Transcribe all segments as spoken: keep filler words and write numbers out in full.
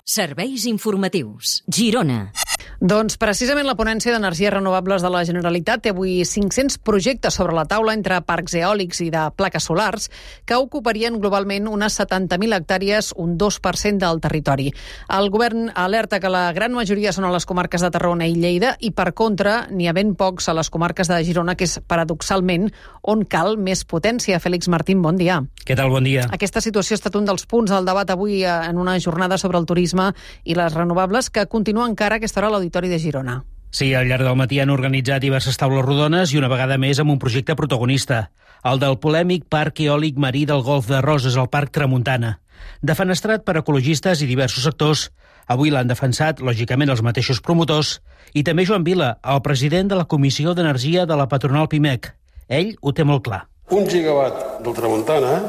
Serveis informatius. Girona. Doncs precisament la ponència d'energies renovables de la Generalitat té avui cinc-cents projectes sobre la taula entre parcs eòlics i de plaques solars que ocuparien globalment unes setanta mil hectàrees, un dos per cent del territori. El govern alerta que la gran majoria són a les comarques de Tarragona i Lleida i, per contra, n'hi ha ben pocs a les comarques de Girona, que és paradoxalment on cal més potència. Fèlix Martín, bon dia. Què tal? Bon dia. Aquesta situació ha estat un dels punts del debat avui en una jornada sobre el turisme i les renovables que continua encara a aquesta hora a l'Auditori de Girona. Sí, al llarg del matí han organitzat diverses taules rodones i una vegada més amb un projecte protagonista, el del polèmic Parc Eòlic Marí del Golf de Roses, al Parc Tramuntana. Defenestrat per ecologistes i diversos sectors, avui l'han defensat, lògicament, els mateixos promotors i també Joan Vila, el president de la Comissió d'Energia de la patronal Pimec. Ell ho té molt clar. Un gigawatt del Tramuntana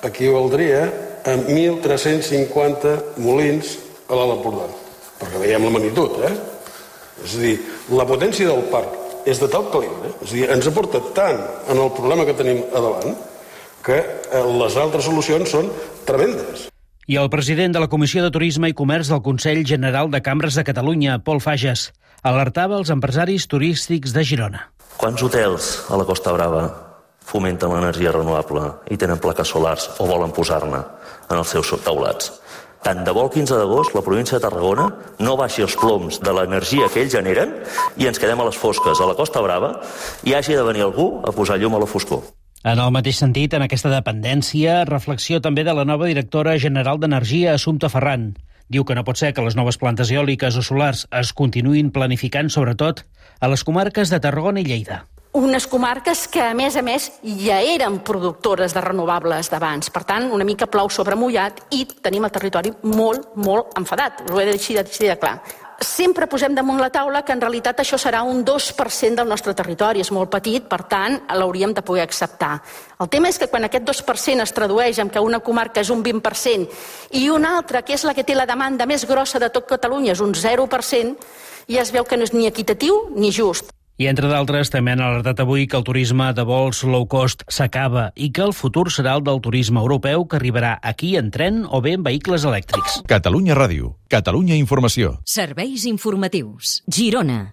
equivaldria a mil tres-cents cinquanta molins a l'Alt Empordà, perquè veiem la magnitud, eh? És a dir, la potència del parc és de tal calibre, és a dir, ens aporta tant en el problema que tenim a davant que les altres solucions són tremendes. I el president de la Comissió de Turisme i Comerç del Consell General de Cambres de Catalunya, Pol Fages, alertava els empresaris turístics de Girona. Quants hotels a la Costa Brava fomenten l'energia renovable i tenen plaques solars o volen posar-ne en els seus taulats? Tant de bo el quinze d'agost la província de Tarragona no baixi els ploms de l'energia que ells generen i ens quedem a les fosques a la Costa Brava i hagi de venir algú a posar llum a la foscor. En el mateix sentit, en aquesta dependència, reflexió també de la nova directora general d'Energia, Assumpta Ferran. Diu que no pot ser que les noves plantes eòliques o solars es continuïn planificant, sobretot, a les comarques de Tarragona i Lleida. Unes comarques que, a més a més, ja eren productores de renovables d'abans. Per tant, una mica plou sobre mullat i tenim el territori molt, molt enfadat. Ho he de deixar de clar. Sempre posem damunt la taula que en realitat això serà un dos per cent del nostre territori. És molt petit, per tant, l'hauríem de poder acceptar. El tema és que quan aquest dos per cent es tradueix en que una comarca és un vint per cent i una altra, que és la que té la demanda més grossa de tot Catalunya, és un zero per cent, ja es veu que no és ni equitatiu ni just. I, entre d'altres, també han alertat avui que el turisme de vols low cost s'acaba i que el futur serà el del turisme europeu, que arribarà aquí en tren o bé en vehicles elèctrics. Catalunya Ràdio. Catalunya Informació. Serveis informatius. Girona.